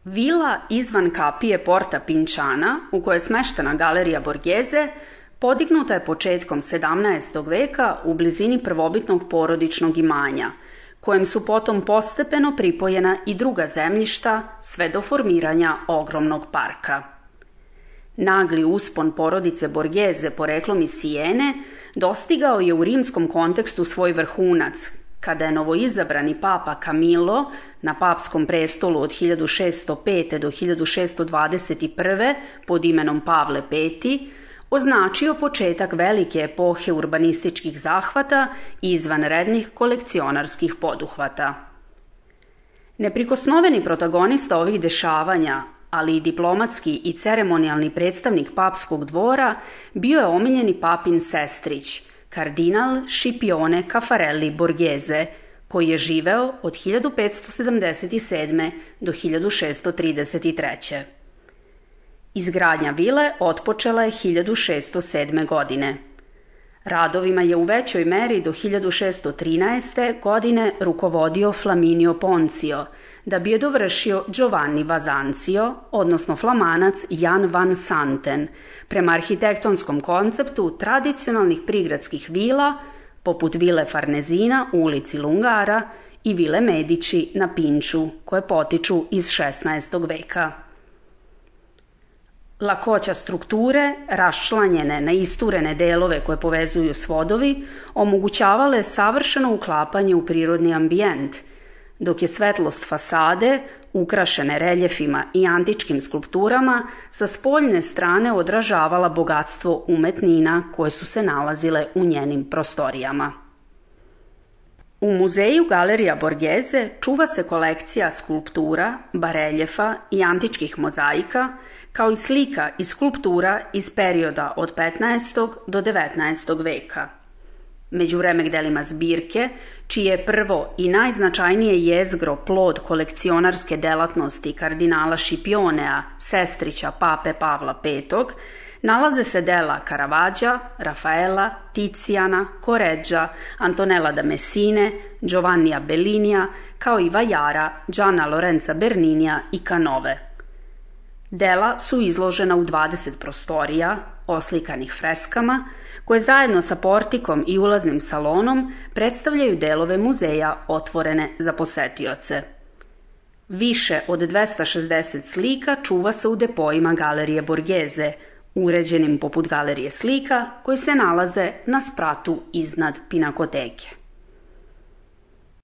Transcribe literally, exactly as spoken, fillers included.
Vila izvan kapije Porta Pinčana, u kojoj je smeštena galerija Borghese, podignuta je početkom sedamnaestog veka u blizini prvobitnog porodičnog imanja, kojem su potom postepeno pripojena i druga zemljišta sve do formiranja ogromnog parka. Nagli uspon porodice Borghese poreklom iz Sijene dostigao je u rimskom kontekstu svoj vrhunac, kada je novoizabrani papa Camillo na papskom prestolu od hiljadu šeststo pete do hiljadu šeststo dvadeset prve pod imenom Pavle peti označio početak velike epohe urbanističkih zahvata i izvanrednih kolekcionarskih poduhvata. Neprikosnoveni protagonista ovih dešavanja, ali i diplomatski i ceremonijalni predstavnik papskog dvora, bio je omiljeni papin sestrić, kardinal Scipione Caffarelli Borghese, koji je živeo od hiljadu petsto sedamdeset sedme do hiljadu šeststo trideset treće. Izgradnja vile otpočela je hiljadu šeststo sedme. godine. Radovima je u većoj meri do hiljadu šeststo trinaeste. godine rukovodio Flaminio Poncio, da bi je dovršio Giovanni Vazancio, odnosno Flamanac Jan van Santen, prema arhitektonskom konceptu tradicionalnih prigradskih vila, poput vile Farnesina u ulici Lungara i vile Medici na Pinču, koje potiču iz šesnaestog. veka. Lakoća strukture, raščlanjene na isturene delove koje povezuju svodovi, omogućavale savršeno uklapanje u prirodni ambijent, dok je svetlost fasade, ukrašene reljefima i antičkim skulpturama, sa spoljne strane odražavala bogatstvo umetnina koje su se nalazile u njenim prostorijama. U muzeju Galerija Borghese čuva se kolekcija skulptura, bareljefa i antičkih mozaika, kao i slika i skulptura iz perioda od petnaestog. do devetnaestog. veka. Među remek-delima zbirke, čije je prvo i najznačajnije jezgro plod kolekcionarske delatnosti kardinala Scipionea, sestrića pape Pavla petog, nalaze se dela Caravaggea, Rafaela, Tiziana, Correggia, Antonella da Messine, Giovannija Bellinija, kao i vajara Gianna Lorenza Berninija i Canove. Dela su izložena u dvadeset prostorija, oslikanih freskama, koje zajedno sa portikom i ulaznim salonom predstavljaju delove muzeja otvorene za posetioce. Više od dvesta šezdeset slika čuva se u depojima Galerije Borghese, uređenim poput galerije slika, koji se nalaze na spratu iznad pinakoteke.